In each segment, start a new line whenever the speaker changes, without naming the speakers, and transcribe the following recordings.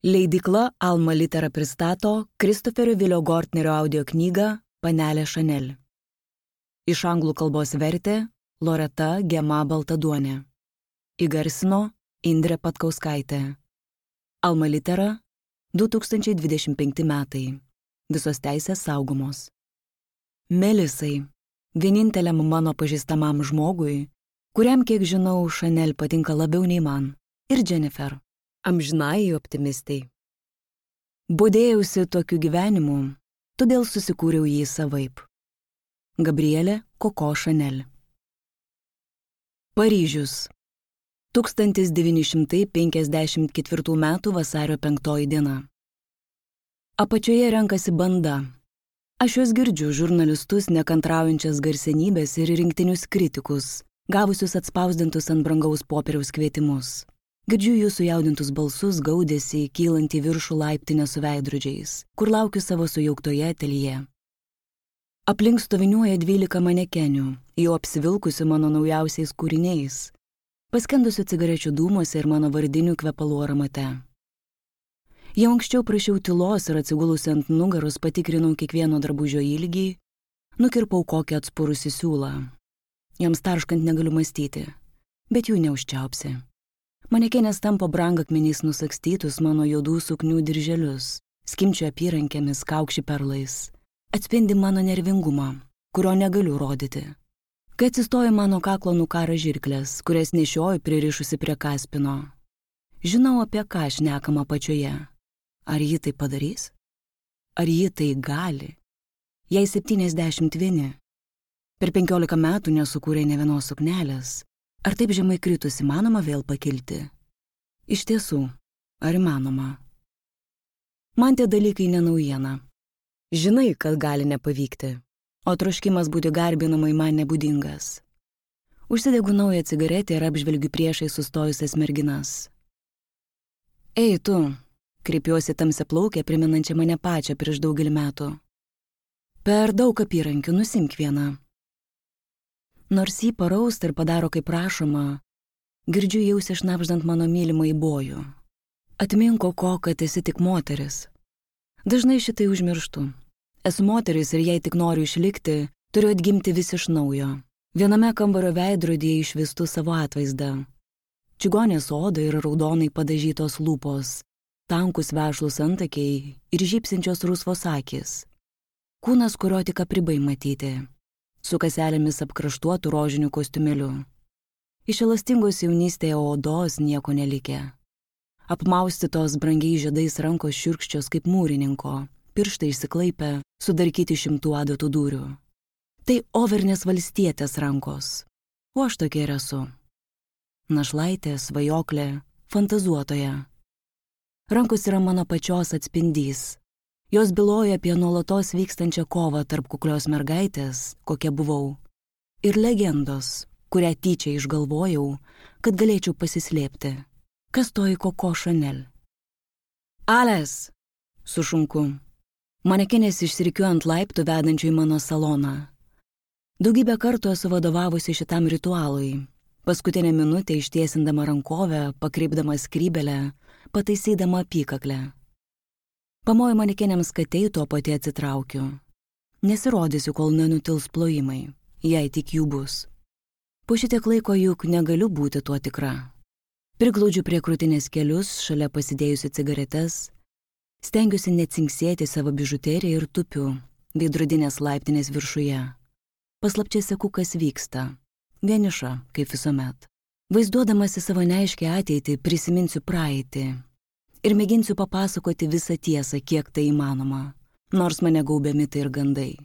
Leidykla Alma Litera pristato Kristoferio Vilio Gortnerio audio knygą Panelė Chanel. Iš anglų kalbos vertė Loreta Gema Baltaduonė. Įgarsino Indrė Patkauskaitė. Alma Litera 2025 metai. Visos teisės saugomos. Melisai, vieninteliam mano pažįstamam žmogui, kuriam, kiek žinau, Chanel patinka labiau nei man, ir Jennifer. Amžinai optimistai. Bodėjausi tokiu gyvenimu, todėl susikūriau jį savaip. Gabrielė Koko Chanel. Paryžius. 1954 m. vasario 5 diena. Apačioje renkasi banda. Aš juos girdžiu, žurnalistus, nekantraujančias garsenybės ir rinktinius kritikus, gavusius atspausdintus ant brangaus popieriaus kvietimus. Girdžiu jų sujaudintus balsus, gaudėsi, kylant į viršų laiptinę su veidrodžiais, kur laukiu savo sujauktoje ateljė. Aplink stoviniuoja 12 manekenių, jau apsivilkusių mano naujausiais kūriniais, paskendusių cigarečių dūmuose ir mano vardinių kvepalų aramate. Jau anksčiau prašiau tylos ir atsigulusi ant nugaros patikrinau kiekvieno drabužio ilgį, nukirpau kokį atspurusį siūlą. Jiems tarškant negaliu mąstyti, bet jų neužčiaupsi. Manekenės tampo brangakmeniais nusakstytus mano juodų suknių dirželius, skimčio apyrankėmis, kaukši perlais. Atspindi mano nervingumą, kurio negaliu rodyti. Kai atsistoja mano kaklo nukara žirklės, kurias nešioju pririšusi prie kaspino. Žinau, apie ką šnekama apačioje. Ar ji tai padarys? Ar ji tai gali? Jai 71. Per 15 metų nesukūrė nė vienos suknelės. Ar taip žemai kritus įmanoma vėl pakilti? Iš tiesų, ar įmanoma? Man tie dalykai nenaujiena. Žinai, kad gali nepavykti, o troškimas būti garbinamai man nebūdingas. Užsidegu naują cigaretę ir apžvelgiu priešai sustojusias merginas. Ei, tu, kreipiuosi tamsiaplaukę, priminančią mane pačią prieš daugelį metų. Per daug apyrankių, nusimk vieną. Nors jį parausta ir padaro kaip prašoma, girdžiu jausi šnapždant mano mylimą į bojų. Atminko ko, kad esi tik moteris. Dažnai šitai užmirštu. Esu moteris ir jei tik noriu išlikti, turiu atgimti vis iš naujo. Viename kambario veidrodyje išvystu savo atvaizdą. Čigonės oda ir raudonai padažytos lūpos, tankus vešlus antakiai ir žybsinčios rusvos akys. Kūnas, kurio tik apribai matyti. Su kaselėmis apkraštuotų rožinių kostiumėliu. Iš elastingos jaunystėje odos nieko nelikė. Apmaustytos brangiai žiedais rankos šiurkščios kaip mūrininko, pirštai išsiklaipę, sudarkyti 100 adatų dūrių. Tai Overnės valstietės rankos, o aš tokia ir esu. Našlaitė, svajoklė, fantazuotoja. Rankos yra mano pačios atspindys. Jos byloja apie nuolatos vykstančią kovą tarp kuklios mergaitės, kokia buvau, ir legendos, kurią tyčia išgalvojau, kad galėčiau pasislėpti. Kas toji Koko Chanel? Ales! Sušunku. Manekenės išsirikiuoja ant laiptų vedančių į mano saloną. Daugybę kartų esu vadovavusi šitam ritualui. Paskutinę minutę ištiesindama rankovę, pakreipdama skrybelę, pataisydama apykaklę. Pamoju manekenėms, kad eitų, o pati atsitraukiu. Nesirodysiu, kol nenutils plojimai, jei tik jų bus. Po šitiek laiko juk negaliu būti tuo tikra. Priglaudžiu prie krūtinės kelius, šalia pasidėjusi cigaretes, stengiuosi necinksėti savo bižuteriją ir tupiu veidrodinės laiptinės viršuje. Paslapčia seku, kas vyksta. Vieniša, kaip visuomet. Vaizduodamasi savo neaiškę ateitį, prisiminsiu praeitį. Ir mėginsiu papasakoti visą tiesą, kiek tai įmanoma, nors mane gaubia mitai ir gandai.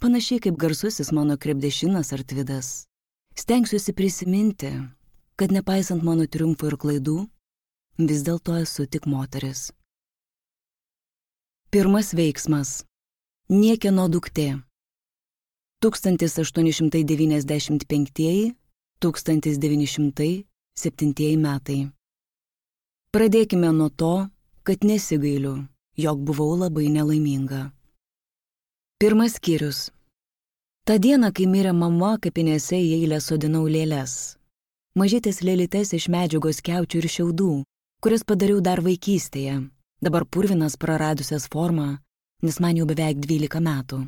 Panašiai kaip garsusis mano krepdešinas ar tvidas. Stengsiuosi prisiminti, kad nepaisant mano triumfų ir klaidų, vis dėlto esu tik moteris. Pirmas veiksmas. Niekieno duktė. 1895–1907 metai. Pradėkime nuo to, kad nesigailiu, jog buvau labai nelaiminga. Pirmas skyrius. Ta diena, kai mirė mama, kapinėse į eilę sodinau lėles. Mažytės lėlytes iš medžiagos skiaučių ir šiaudų, kurias padariau dar vaikystėje, dabar purvinas praradusias formą, nes man jau beveik 12 metų.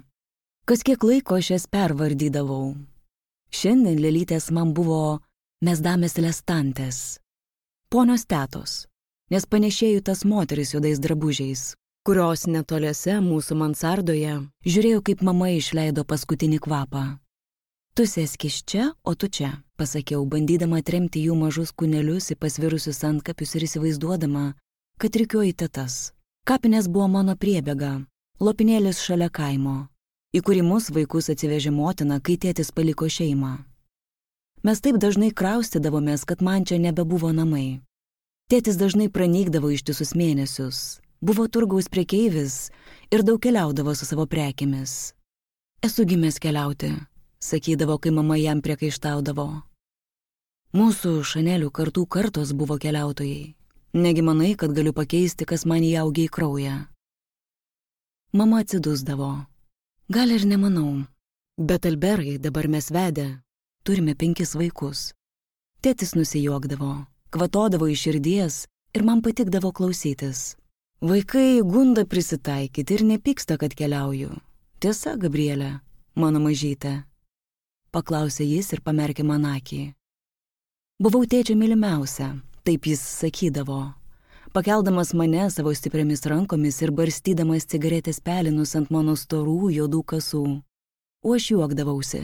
Kas kiek laiko aš jas pervardydavau. Šiandien lėlytės man buvo mesdames lestantės, ponios tetos, nes panešėjau tas moteris juodais drabužiais, kurios netoliese mūsų mansardoje žiūrėjau, kaip mama išleido paskutinį kvapą. Tu sėskis čia, o tu čia, pasakiau, bandydama atremti jų mažus kūnelius į pasvirusius antkapius ir įsivaizduodama, kad rikiuoju tetas. Kapinės buvo mano priebėga, lopinėlis šalia kaimo, į kurį mus vaikus atsivežė motina, kai tėtis paliko šeimą. Mes taip dažnai kraustydavomės, kad man čia nebebuvo namai. Tėtis dažnai pranykdavo ištisus mėnesius, buvo turgaus prekeivis ir daug keliaudavo su savo prekėmis. Esu gimęs keliauti, sakydavo, kai mama jam priekaištaudavo. Mūsų Šanelių kartų kartos buvo keliautojai. Negi manai, kad galiu pakeisti, kas man įaugė į kraują. Mama atsidusdavo. Gal ir nemanau, bet Alberai dabar mes vedę, turime 5 vaikus. Tėtis nusijuokdavo, kvatodavo iš širdies ir man patikdavo klausytis. Vaikai gunda prisitaikyti ir nepyksta, kad keliauju. Tiesa, Gabrielė, mano mažytė? Paklausė jis ir pamerkė man akį. Buvau tėčio mylimiausia, taip jis sakydavo, pakeldamas mane savo stipriamis rankomis ir barstydamas cigaretės pelinus ant mano storų juodų kasų. O aš juokdavausi.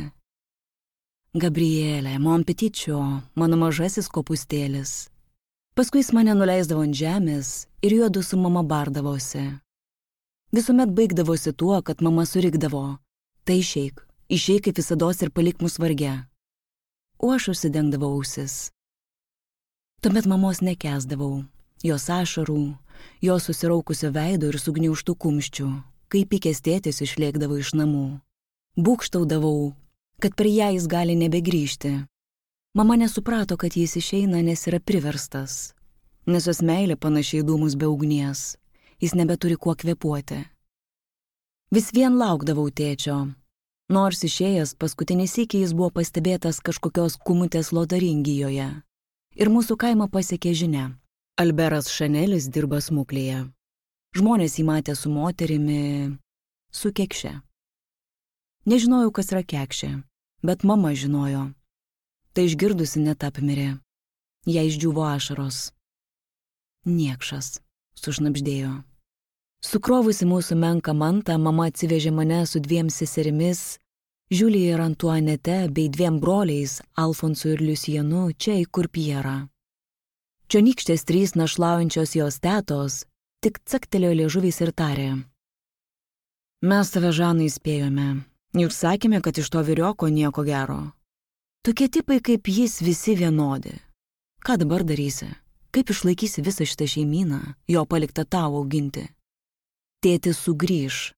Gabrielė, mon petičio, mano mažasis kopustėlis. Paskui jis mane nuleisdavo ant žemės ir juodu su mama bardavosi. Visuomet baigdavosi tuo, kad mama surikdavo. Tai išeik kaip visados ir palik mus varge. O aš užsidengdavau ausis. Tuomet mamos nekęsdavau, jos ašarų, jos susiraukusio veido ir sugniaužtų kumščių, kai pykęs tėtis išlėkdavo iš namų. Būgštaudavau, kad per ją jis gali nebegrįžti. Mama nesuprato, kad jis išeina, nes yra priverstas, nes jos meilė panašiai dūmus be ugnies, jis nebeturi kuo kvėpuoti. Vis vien laukdavau tėčio, nors išėjęs paskutinį sykį jis buvo pastebėtas kažkokios kumutės Lotaringijoje ir mūsų kaimą pasiekė žinia. Alberas Šanelis dirba smuklėje. Žmonės jį matė su moterimi, su kekše. Nežinojau, kas yra kekšė, bet mama žinojo. Tai išgirdusi net apmirė. Jai išdžiuvo ašaros. Niekšas, sušnabždėjo. Sukrovusi mūsų menką mantą, mama atsivežė mane su 2 seserimis, Žiulija ir Antuanete, bei 2 broliais, Alfonsu ir Liusienu, čia į Kurpierą. Čionykštės 3 našlaujančios jos tetos tik caktelėjo liežuviais ir tarė. Mes tave, Žanai, įspėjome. Juk sakėme, kad iš to vyrioko nieko gero. Tokie tipai kaip jis visi vienodi. Ką dabar darysi? Kaip išlaikysi visą šitą šeimyną, jo paliktą tau auginti? Tėtis sugrįž.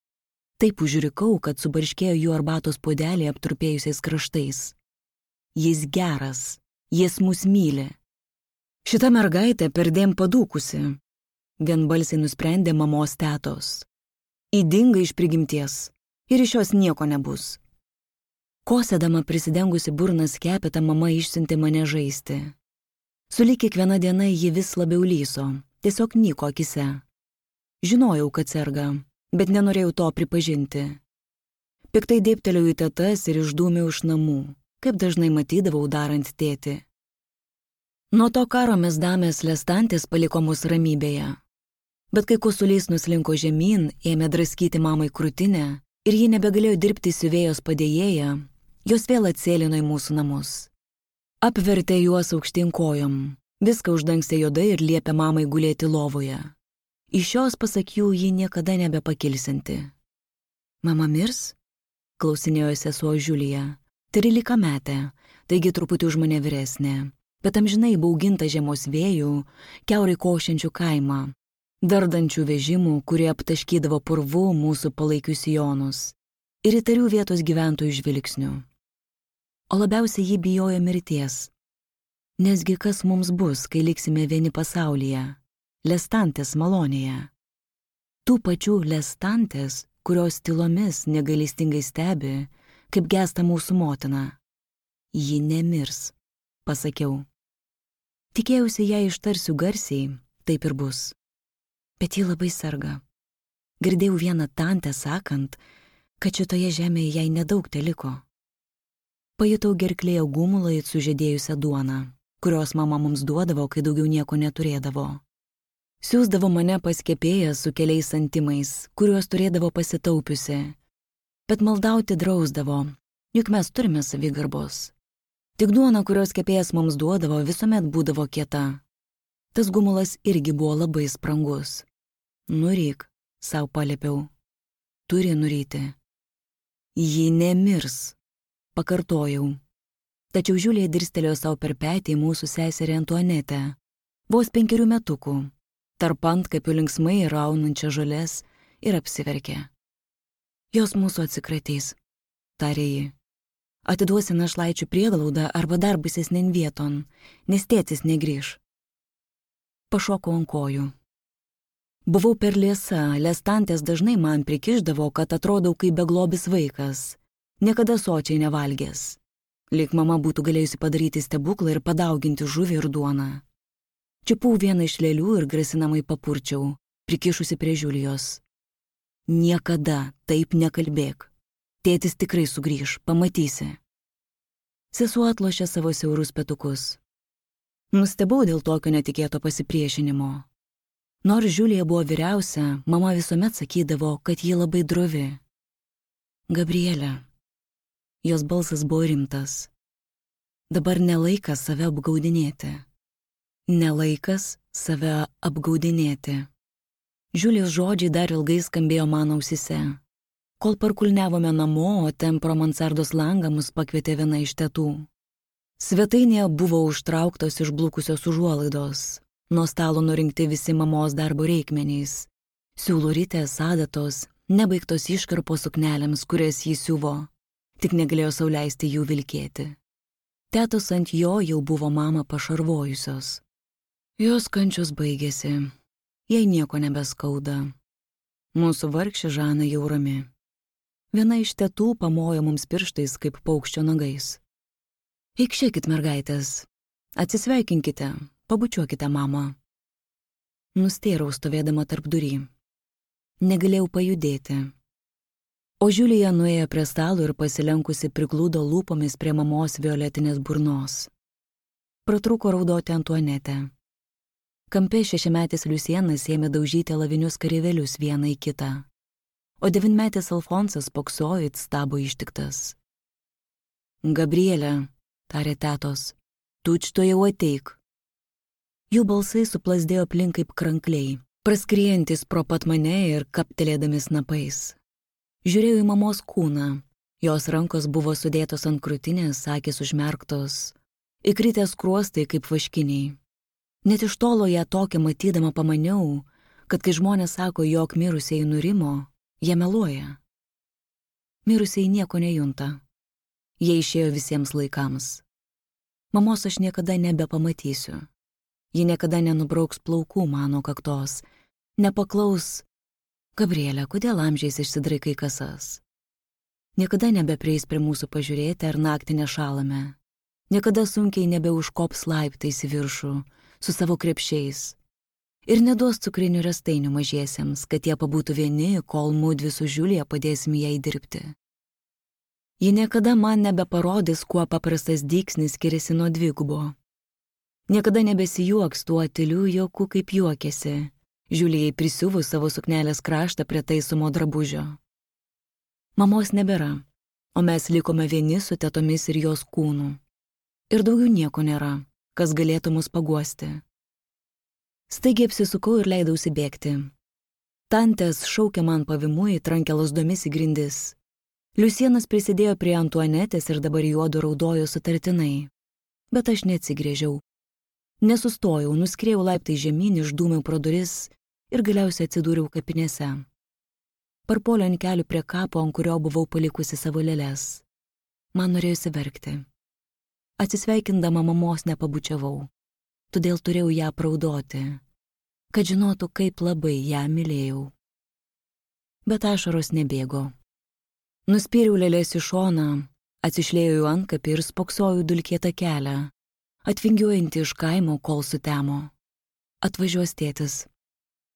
Taip užrikau, kad subarškėjo jų arbatos puodelį aptrupėjusiais kraštais. Jis geras, jis mus myli. Šita mergaitė perdėm padūkusi, vienbalsiai nusprendė mamos tetos. Ydinga iš prigimties ir iš jos nieko nebus. Kosėdama prisidengusi burnas skepetą, mama išsiuntė mane žaisti. Sulig kiekviena diena ji vis labiau lyso, tiesiog nyko akise. Žinojau, kad serga, bet nenorėjau to pripažinti. Piktai dėbtelėjau į tetas ir išdūmiau iš namų, kaip dažnai matydavau darant tėtį. Nuo to karo mes damės lestantės paliko mus ramybėje. Bet kai kosulys nuslinko žemyn, ėmė draskyti mamai krūtinę ir ji nebegalėjo dirbti siuvėjos padėjėja, jos vėl atsėlino į mūsų namus. Apvertė juos aukštyn kojom, viską uždangstė juodai ir liepė mamai gulėti lovoje. Iš jos, pasak jų, ji niekada nebepakilsinti. Mama mirs? Klausinėjo sesuo Žiulija. 13 metė, taigi truputį už mane vyresnė, bet amžinai bauginta žiemos vėjų, kiaurai košiančių kaimą, dardančių vežimų, kurie aptaškydavo purvu mūsų palaikius sijonus ir įtarių vietos gyventojų žvilgsnių. O labiausiai ji bijojo mirties. Nesgi kas mums bus, kai liksime vieni pasaulyje, lestantės malonėje. Tų pačių lestantės, kurios tylomis negailestingai stebi, kaip gęsta mūsų motina. Ji nemirs, pasakiau. Tikėjausi ją ištarsiu garsiai, taip ir bus. Bet ji labai serga. Girdėjau vieną tantę sakant, kad šitoje žemėje jai nedaug teliko. Pajutau gerklėje gumulą it sužėdėjusią duoną, kurios mama mums duodavo, kai daugiau nieko neturėdavo. Siųsdavo mane pas kepėją su keliais santimais, kuriuos turėdavo pasitaupiusi. Bet maldauti drausdavo, juk mes turime savigarbos. Tik duona, kurios kepėjas mums duodavo, visuomet būdavo kieta. Tas gumulas irgi buvo labai sprangus. Nuryk, sau paliepiau. Turi nuryti. Ji nemirs, pakartojau. Tačiau Žiulija dirstelėjo savo per petį mūsų seserį Antuanetę, vos 5 metukų, tarp antkapių linksmai raunančią žolės, ir apsiverkė. Jos mūsų atsikratys, tarė ji. Atiduosi našlaičių prieglaudą arba dar baisesnėn vieton, nes tėtis negrįš. Pašokau ant kojų. Buvau per liesa, lestantės dažnai man prikišdavo, kad atrodau kaip beglobis vaikas, niekada sočiai nevalgęs. Lyg mama būtų galėjusi padaryti stebuklą ir padauginti žuvį ir duoną. Čiupau vieną iš lėlių ir grasinamai papurčiau, prikišusi prie Žiulijos. Niekada taip nekalbėk. Tėtis tikrai sugrįž, pamatysi. Sesuo atlošė savo siaurus petukus. Nustebau dėl tokio netikėto pasipriešinimo. Nors Žiulija buvo vyriausia, mama visuomet sakydavo, kad ji labai drovi. Gabrielė. Jos balsas buvo rimtas. Dabar nelaikas save apgaudinėti. Nelaikas save apgaudinėti. Žiulijos žodžiai dar ilgai skambėjo mano ausise. Kol parkulniavome namo, o ten pro mansardos langą mus pakvietė viena iš tetų. Svetainėje buvo užtrauktos išblukusios užuolaidos, nuo stalo nurinkti visi mamos darbo reikmenys, siūlų ritės, adatos, nebaigtos iškarpos suknelėms, kurias jį siuvo, tik negalėjo sau leisti jų vilkėti. Tetos ant jo jau buvo mamą pašarvojusios. Jos kančios baigėsi, jai nieko nebeskauda. Mūsų vargšė Žana jau rami. Viena iš tetų pamojo mums pirštais kaip paukščio nagais. Eikšėkit, mergaitės, atsisveikinkite, pabučiuokite mamą. Nustėrau stovėdama tarp durį. Negalėjau pajudėti. O Žiulija nuėjo prie stalo ir pasilenkusi priglūdo lūpomis prie mamos violetinės burnos. Pratrūko raudoti Antuanetę. Kampe 6-metis Liusienas ėmė daužyti lavinius kareivėlius vieną į kitą, o 9-metis Alfonsas poksojo it stabo ištiktas. Gabrielė, tarė tetos, tučtuojau ateik. Jų balsai suplasdėjo aplink kaip krankliai, praskriejantis pro pat mane ir kaptelėdami snapais. Žiūrėjau į mamos kūną, jos rankos buvo sudėtos ant krūtinės, akys užmerktos, įkritęs skruostai kaip vaškiniai. Net iš tolo ją tokią matydama pamaniau, kad kai žmonės sako, jog mirusieji nurimo, jie meluoja. Mirusieji nieko nejunta. Jie išėjo visiems laikams. Mamos aš niekada nebepamatysiu. Ji niekada nenubrauks plaukų mano kaktos, nepaklaus, Gabrielė, kodėl amžiais išsidraikai kasas? Niekada nebeprieis prie mūsų pažiūrėti, ar naktį nešalame. Niekada sunkiai nebeužkops laiptais į viršų su savo krepšiais. Ir neduos cukrinių restainių mažiesiems, kad jie pabūtų vieni, kol mudvi su Žiulija padėsim jai dirbti. Ji niekada man nebeparodys, kuo paprastas dygsnis skiriasi nuo dvigubo. Niekada nebesijuoks tuo tyliu juoku, kaip juokėsi, Žiulijai prisiuvus savo suknelės kraštą prie taisomo drabužio. Mamos nebėra, o mes likome vieni su tetomis ir jos kūnu. Ir daugiau nieko nėra, kas galėtų mus paguosti. Staigiai apsisukau ir leidausi bėgti. Tantės šaukė man pavimu, įtrankė lasdomis į grindis. Liusienas prisidėjo prie Antuanetės ir dabar juodu raudojo sutartinai. Bet aš neatsigrėžiau. Nesustojau, nuskrėjau laiptai žemyn, išdūmiau pro duris ir galiausiai atsidūriau kapinėse. Parpuoliau ant kelių prie kapo, ant kurio buvau palikusi savo lėles. Man norėjosi verkti. Atsisveikindama mamos nepabučiavau, todėl turėjau ją apraudoti, kad žinotų, kaip labai ją mylėjau. Bet ašaros nebėgo. Nuspyriau lėlės į šoną, atsišlėjau antkapį ir spoksojau dulkėtą kelią, atvingiuojantį iš kaimo, kol sutemo. Atvažiuos tėtis.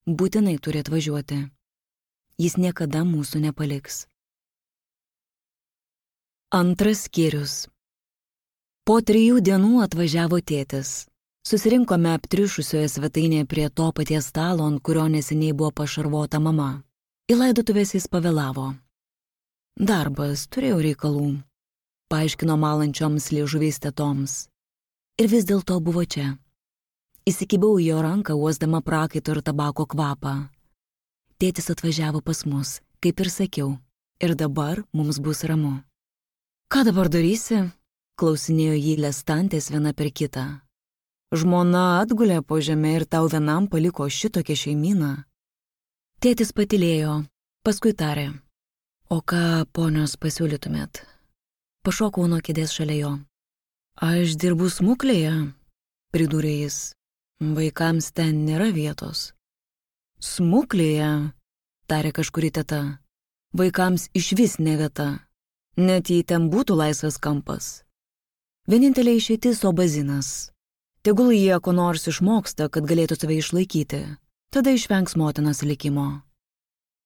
Būtinai turi atvažiuoti. Jis niekada mūsų nepaliks. Antras skyrius. Po 3 dienų atvažiavo tėtis. Susirinkome aptriušusioje svetainėje prie to paties stalo, ant kurio neseniai buvo pašarvota mama. Į laidotuvės jis pavėlavo. Darbas, turėjau reikalų, paaiškino malančioms liežuviais tetoms. Ir vis dėlto buvo čia. Įsikibau į jo ranką, uosdama prakaito ir tabako kvapą. Tėtis atvažiavo pas mus, kaip ir sakiau, ir dabar mums bus ramu. Ką dabar darysi? Klausinėjo jį lestantės viena per kitą. Žmona atgulė po žemę ir tau vienam paliko šitokią šeimyną. Tėtis patylėjo, paskui tarė. O ką, ponios, pasiūlytumėt? Pašokau nuo kėdės šalia jo. Aš dirbu smuklėje, pridūrė jis. Vaikams ten nėra vietos. Smuklėje, tarė kažkuri teta. Vaikams išvis ne vieta. Net jei ten būtų laisvas kampas. Vienintelė išeitis obazinas. Tegul jie ko nors išmoksta, kad galėtų save išlaikyti. Tada išvengs motinos likimo.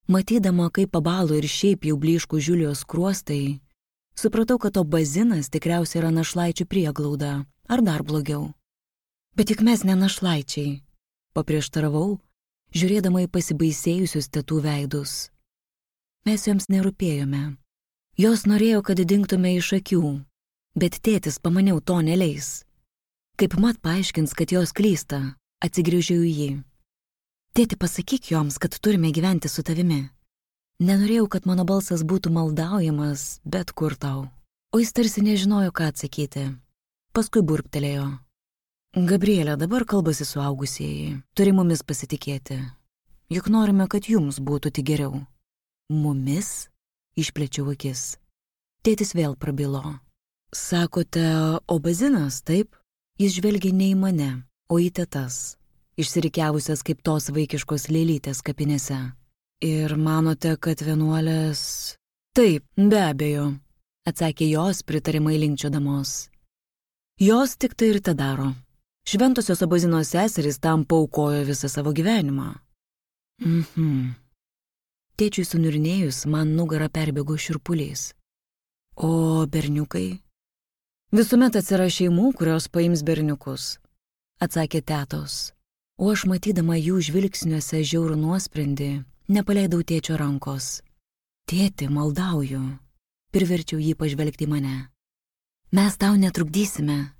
Matydama, kaip pabalo ir šiaip jau blyškų Žiulijos skruostai, supratau, kad obazinas tikriausiai yra našlaičių prieglauda, ar dar blogiau. Bet juk mes ne našlaičiai, paprieštaravau, žiūrėdama į pasibaisėjusius tetų veidus. Mes joms nerūpėjome. Jos norėjo, kad dingtume iš akių, bet tėtis, pamaniau, to neleis. Kaip mat paaiškins, kad jos klysta, atsigrįžiau į jį. Tėti, pasakyk joms, kad turime gyventi su tavimi. Nenorėjau, kad mano balsas būtų maldaujamas, bet kur tau. O jis tarsi nežinojo, ką atsakyti. Paskui burptelėjo. Gabrielė, dabar kalbasi suaugusieji. Turi mumis pasitikėti. Juk norime, kad jums būtų tik geriau. Mumis? Išplėčiau akis. Tėtis vėl prabilo. Sakote, obazinas, taip? Jis žvelgia ne į mane, o į tetas, išsirikiavusias kaip tos vaikiškos lėlytės kapinėse. Ir manote, kad vienuolės... Taip, be abejo, atsakė jos pritarimai linkčiodamos. Jos tik tai ir te daro. Šventosios obazinos seserys tam paaukojo visą savo gyvenimą. Tėčiui suniurnėjus, man nugarą perbėgo šiurpulys. O berniukai? Visuomet atsiras šeimų, kurios paims berniukus, atsakė tetos. O aš matydama jų žvilgsniuose žiaurų nuosprendį, nepaleidau tėčio rankos. Tėti, maldauju, priverčiau jį pažvelgti mane. Mes tau netrukdysime.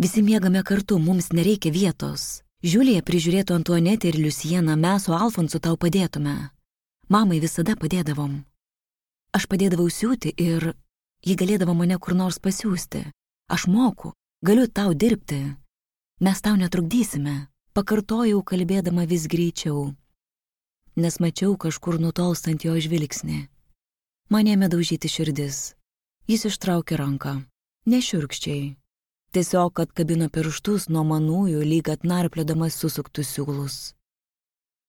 Visi miegame kartu, mums nereikia vietos. Žiulija prižiūrėtų Antuanetę ir Liusieną, mes su Alfonsu tau padėtume. Mamai visada padėdavom. Aš padėdavau siūti ir ji galėdavo mane kur nors pasiųsti. Aš moku, galiu tau dirbti. Mes tau netrukdysime, pakartojau kalbėdama vis greičiau, nes mačiau kažkur nutolstant jo žvilgsnį. Man ėmė daužyti širdis. Jis ištraukė ranką, nešiurkščiai. Tiesiog atkabino pirštus nuo manųjų, lyg atnarpliodamas susuktus siūlus.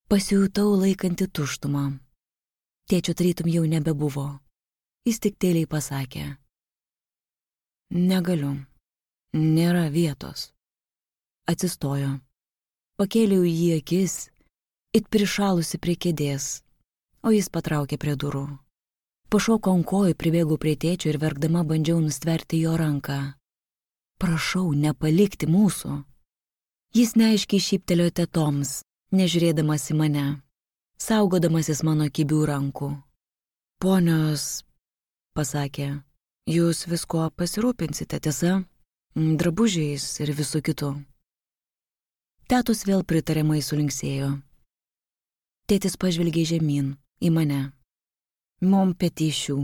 Pasijutau laikanti tuštumą. Tėčio tarytum jau nebebuvo. Jis tik tyliai pasakė. Negaliu. Nėra vietos. Atsistojo. Pakėliau jį akis, it prišalusi prie kėdės, o jis patraukė prie durų. Pašoko ant kojų, pribėgau prie tėčio ir verkdama bandžiau nustverti jo ranką. Prašau, nepalikti mūsų. Jis neaiškiai šyptelėjo tetoms, nežiūrėdamas į mane, saugodamasis mano kibių rankų. Ponios, pasakė, jūs visko pasirūpinsite, tiesa, drabužiais ir visų kitų. Tetos vėl pritariamai sulinksėjo. Tėtis pažvelgė žemyn, į mane. Mom petyšių.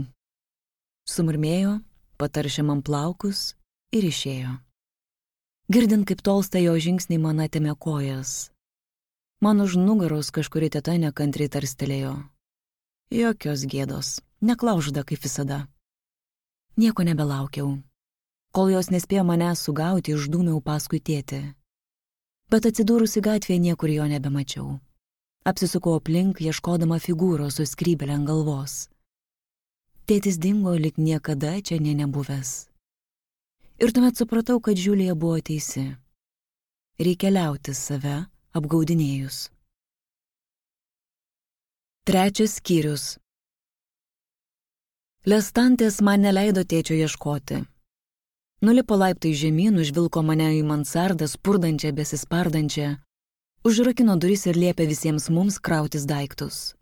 Sumurmėjo, pataršė man plaukus ir išėjo. Girdint, kaip tolsta jo žingsniai, man atėmė kojas. Man už nugaros kažkuri teta nekantriai tarstelėjo. Jokios gėdos, neklaužda kaip visada. Nieko nebelaukiau. Kol jos nespėjo manęs sugauti, išdūmiau paskui tėtį. Bet atsidūrusi gatvėje niekur jo nebemačiau. Apsisukau aplink, ieškodama figūros su skrybėle ant galvos. Tėtis dingo, lyg niekada čia nebuvęs. Ir tuomet supratau, kad Žiulija buvo teisi. Reikia liautis save apgaudinėjus. 3 skyrius. Lestantės man neleido tėčio ieškoti. Nulipo laiptai žemyn, užvilko mane į mansardą, spurdančią, besispardančią, užrakino duris ir liepė visiems mums krautis daiktus.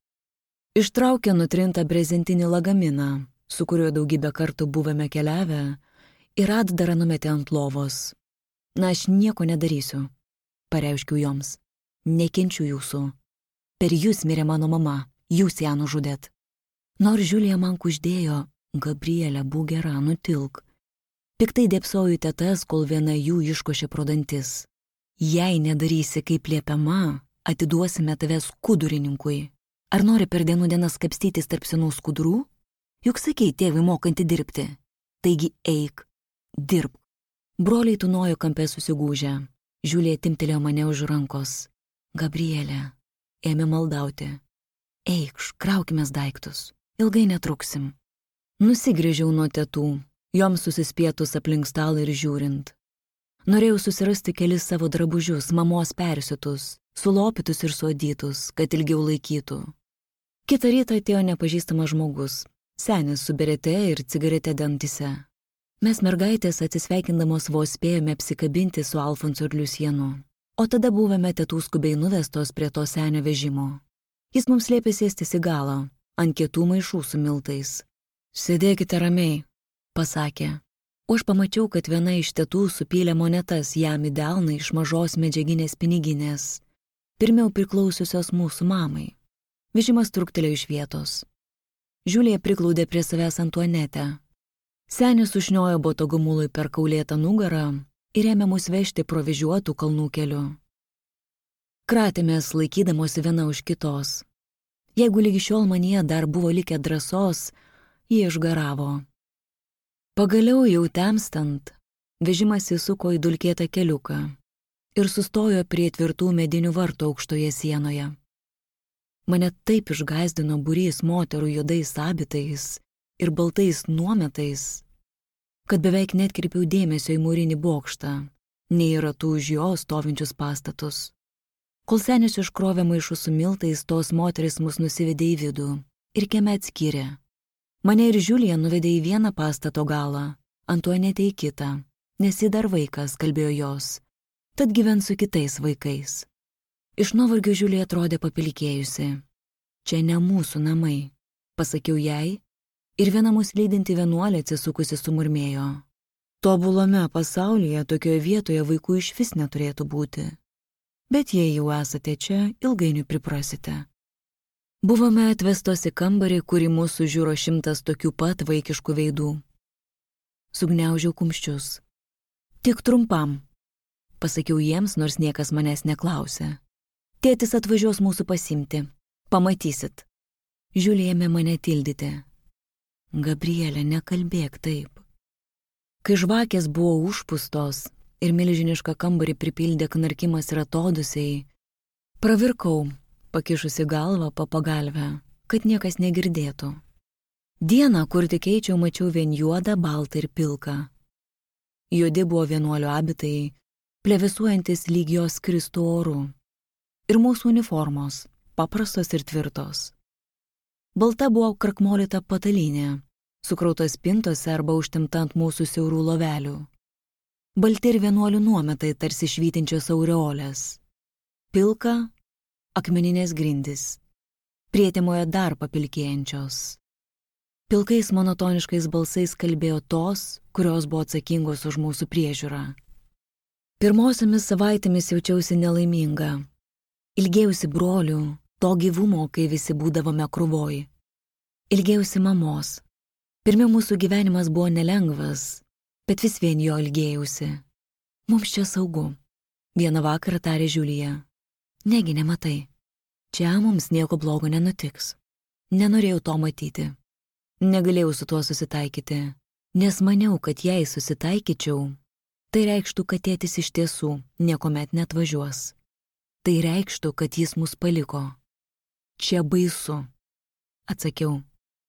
Ištraukė nutrintą brezentinį lagaminą, su kuriuo daugybę kartų buvome keliavę, ir atdarą numetė ant lovos. Na, aš nieko nedarysiu, pareiškiau joms. Nekenčiu jūsų. Per jūs mirė mano mama, jūs ją nužudėt. Nors Žiulija man kuždėjo, Gabrielė, būk gera, nutilk. Piktai dėpsoju tetas, kol viena jų iškošė pro dantis. Jei nedarysi kaip liepiama, atiduosime tave skudurininkui. Ar nori per dienų dienas kapstytis tarp senų skudurų? Juk sakei tėvui mokanti dirbti. Taigi eik, dirbk. Broliai tūnojo kampe susigūžę. Žiulija timtelėjo mane už rankos. Gabrielė, ėmė maldauti. Eikš, kraukimės daiktus. Ilgai netruksim. Nusigrįžiau nuo tetų, joms susispietus aplink stalą ir žiūrint. Norėjau susirasti kelis savo drabužius, mamos persiutus, sulopytus ir suodytus, kad ilgiau laikytų. Kitą rytą atėjo nepažįstamas žmogus, senis su berete ir cigarete dantise. Mes mergaitės atsisveikindamos vos spėjome apsikabinti su Alfonsu ir Liusienu, o tada buvome tetų skubiai nuvestos prie to senio vežimo. Jis mums liepė sėstis į galą, ant kietų maišų su miltais. Sėdėkite ramiai, pasakė. O aš pamačiau, kad viena iš tetų supylė monetas jam į delną iš mažos medžiaginės piniginės, pirmiau priklausiusios mūsų mamai. Vežimas truktelėjo iš vietos. Žiulija priglaudė prie savęs Antuanetę. Senis užniojo botogumului per kaulėtą nugarą ir ėmė mus vežti provežiuotų kalnų keliu. Kratėmės laikydamosi viena už kitos. Jeigu lygi šiol manyje dar buvo likę drąsos, jie išgaravo. Pagaliau jau temstant, vežimas įsuko į dulkėtą keliuką ir sustojo prie tvirtų medinių vartų aukštoje sienoje. Mane taip išgąsdino būrys moterų juodais abitais ir baltais nuometais, kad beveik netkreipiau dėmesio į mūrinį bokštą, nei į ratų už jo stovinčius pastatus. Kol senis iškrovė maišus su miltais, tos moteris mus nusivedė į vidų ir kieme atskyrė. Mane ir Žiulija nuvedė į vieną pastato galą, Antuanetę į kitą, nes ji dar vaikas, kalbėjo jos, tad gyvens su kitais vaikais. Iš nuovargio Žiulija atrodė papilikėjusi. Čia ne mūsų namai, pasakiau jai, ir viena mus lydinti vienuolė atsisukusi sumurmėjo. Tobulame pasaulyje tokioje vietoje vaikų išvis neturėtų būti. Bet jei jau esate čia, ilgainiui priprasite. Buvome atvestos į kambarį, kurį mūsų žiūro 100 tokių pat vaikiškų veidų. Sugniaužiau kumščius. Tik trumpam, pasakiau jiems, nors niekas manęs neklausė. Tėtis atvažiuos mūsų pasimti. Pamatysit. Žiulija ėmė mane tildyti. Gabrielė, nekalbėk taip. Kai žvakės buvo užpustos ir milžinišką kambarį pripildė knarkimas ir atodusiai, pravirkau, pakišusi galvą po pagalvę, kad niekas negirdėtų. Dieną, kur tik eičiau, mačiau vien juodą, baltą ir pilką. Juodi buvo vienuolio abitai, plevėsuojantis lyg jos kristų orų. Ir mūsų uniformos, paprastos ir tvirtos. Balta buvo krakmolyta patalynė, sukrautas spintose arba užtemta ant mūsų siaurų lovelių. Balti ir vienuolių nuometai tarsi švytinčios aureolės. Pilka, akmeninės grindys, prietemoje dar papilkėjančios. Pilkais monotoniškais balsais kalbėjo tos, kurios buvo atsakingos už mūsų priežiūrą. Pirmosiomis savaitėmis jaučiausi nelaiminga. Ilgėjausi brolių, to gyvumo, kai visi būdavome krūvoj. Ilgėjausi mamos. Pirmiau mūsų gyvenimas buvo nelengvas, bet vis vien jo ilgėjausi. Mums čia saugu. Vieną vakarą tarė Žiulija. Negi nematai. Čia mums nieko blogo nenutiks. Nenorėjau to matyti. Negalėjau su tuo susitaikyti, nes maniau, kad jei susitaikyčiau, tai reikštų, kad tėtis iš tiesų niekuomet neatvažiuos. Tai reikštų, kad jis mus paliko. Čia baisu, atsakiau.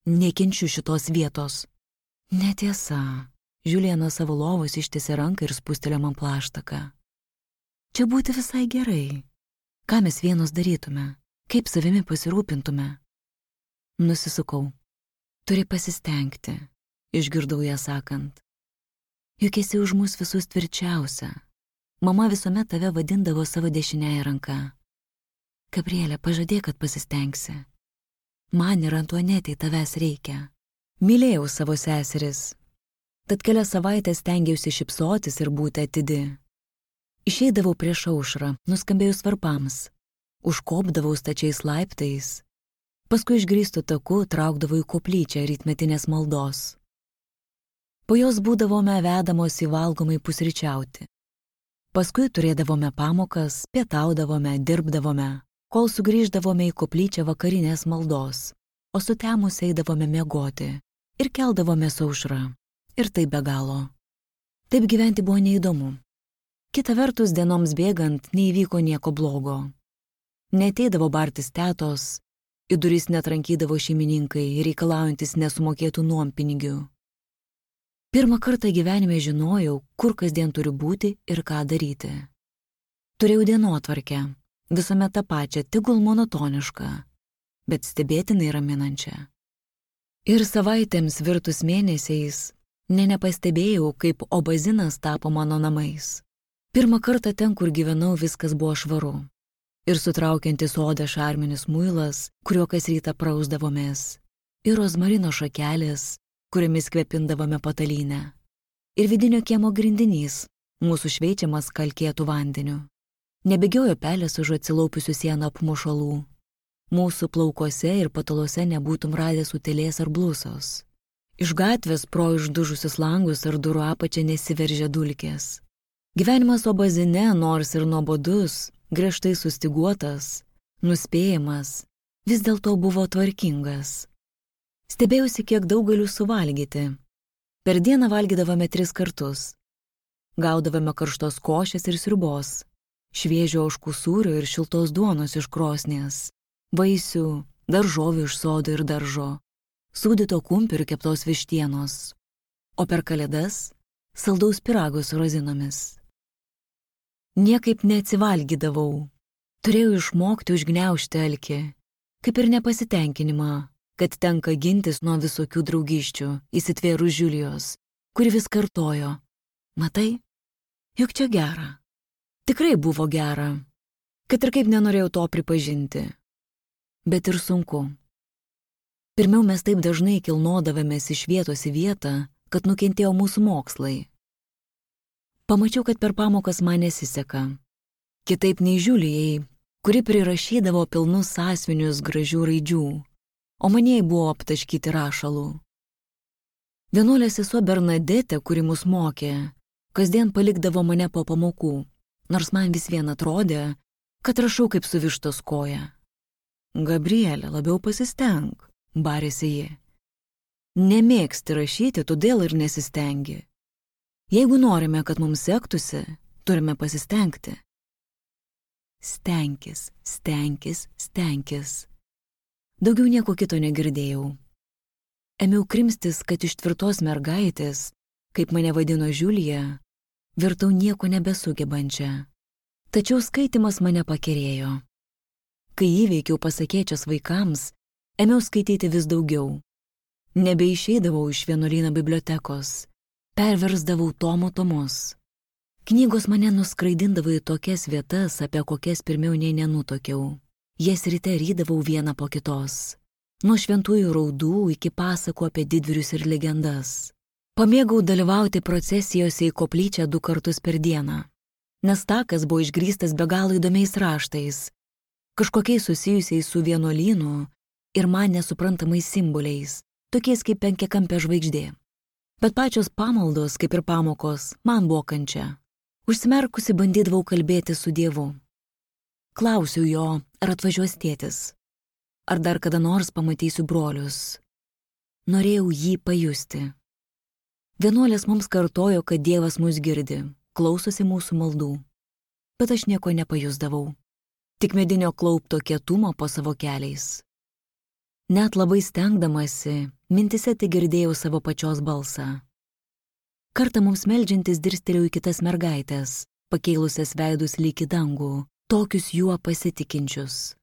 Nekenčiu šitos vietos. Netiesa. Žiulija nuo savo lovos ištiesė ranką ir spustelėjo man plaštaką. Čia būti visai gerai. Ką mes vienos darytume? Kaip savimi pasirūpintume? Nusisukau. Turi pasistengti, išgirdau ją sakant. Juk esi už mus visus tvirčiausia. Mama visuomet tave vadindavo savo dešiniąją ranką. Gabrielė, pažadėk, kad pasistengsi. Man ir Antuanetei tavęs reikia. Mylėjau savo seseris. Tad kelias savaitės stengiausi šypsotis ir būti atidi. Išeidavau prieš aušrą, nuskambėjus varpams. Užkopdavau stačiais laiptais. Paskui išgrįstų taku traukdavau į koplyčią rytmetinės maldos. Po jos būdavome vedamos į valgomai pusryčiauti. Paskui turėdavome pamokas, pietaudavome, dirbdavome, kol sugrįždavome į koplyčią vakarinės maldos, o sutemus eidavome miegoti ir keldavome aušrą. Ir tai be galo. Taip gyventi buvo neįdomu. Kita vertus, dienoms bėgant neįvyko nieko blogo. Neateidavo bartis tetos, į duris netrankydavo šeimininkai, reikalaujantis nesumokėtų nuompinigių. Pirmą kartą gyvenime žinojau, kur kasdien turiu būti ir ką daryti. Turėjau dienotvarkę, visuomet tą pačią, tegul monotonišką, bet stebėtinai raminančią. Ir savaitėms virtus mėnesiais nepastebėjau, kaip obazinas tapo mano namais. Pirmą kartą ten, kur gyvenau, viskas buvo švaru. Ir sutraukiantis odą šarminis muilas, kuriuo kas rytą prausdavomės, ir rozmarino šakelės, kuriamis kvepindavome patalynę, ir vidinio kiemo grindinys, mūsų šveičiamas kalkėtų vandeniu. Nebėgiojo pelės už atsilaupiusių sieną apmušalų. Mūsų plaukuose ir pataluose nebūtum radęs utėlės ar blusos. Iš gatvės pro išdužusius langus ar durų apačią nesiveržė dulkės. Gyvenimas obazine, nors ir nuobodus, griežtai sustiguotas, nuspėjamas, vis dėlto buvo tvarkingas. Stebėjausi, kiek daug galiu suvalgyti. Per dieną valgydavome 3 kartus. Gaudavome karštos košės ir sriubos, šviežio ožkų sūrio ir šiltos duonos iš krosnies, vaisių, daržovių iš sodo ir daržo, sūdyto kumpio ir keptos vištienos, o per kalėdas saldaus pyrago su rozinomis. Niekaip neatsivalgydavau. Turėjau išmokti užgniaužti alkį, kaip ir nepasitenkinimą, kad tenka gintis nuo visokių draugyščių, įsitvėrus Žiulijos, kuri vis kartojo: matai, juk čia gera. Tikrai buvo gera, kad ir kaip nenorėjau to pripažinti. Bet ir sunku. Pirmiau mes taip dažnai kilnodavomės iš vietos į vietą, kad nukentėjo mūsų mokslai. Pamačiau, kad per pamokas man nesiseka. Kitaip nei Žiulijai, kuri prirašydavo pilnus sąsiuvinius gražių raidžių, o manieji buvo aptaškyti rašalų. Vienuolė sesuo Bernadetė, kuri mus mokė, kasdien palikdavo mane po pamokų, nors man vis vien atrodė, kad rašau kaip su vištos koja. Gabrielė, labiau pasisteng, barėsi ji. Nemėgsti rašyti, todėl ir nesistengi. Jeigu norime, kad mums sektųsi, turime pasistengti. Stenkis, stenkis, stenkis. Daugiau nieko kito negirdėjau. Ėmiau krimstis, kad iš tvirtos mergaitės, kaip mane vadino Žiulija, virtau nieko nebesugebančią. Tačiau skaitimas mane pakerėjo. Kai įveikiau pasakėčias vaikams, ėmiau skaityti vis daugiau. Nebeišeidavau iš vienuolyno bibliotekos, perversdavau tomus. Knygos mane nuskraidindavo į tokias vietas, apie kokias pirmiau nei nenutokiau. Jas ryte rydavau vieną po kitos. Nuo šventųjų raudų iki pasakų apie didvyrius ir legendas. Pamėgau dalyvauti procesijose į koplyčią 2 kartus per dieną. Nes takas buvo išgrįstas be galo įdomiais raštais, kažkokiais susijusiais su vienuolynu ir man nesuprantamais simboliais, tokiais kaip penkiakampė žvaigždė. Bet pačios pamaldos, kaip ir pamokos, man buvo kančia. Užsimerkusi bandydavau kalbėti su Dievu. Klausiau jo, ar atvažiuos tėtis, ar dar kada nors pamatysiu brolius. Norėjau jį pajusti. Vienuolės mums kartojo, kad Dievas mus girdi, klausosi mūsų maldų. Bet aš nieko nepajusdavau. Tik medinio klaupto kietumo po savo keliais. Net labai stengdamasi, mintise tik girdėjau savo pačios balsą. Kartą mums meldžiantis dirstelėjau į kitas mergaitės, pakėlusias veidus lyg į dangų, tokius juo pasitikinčius.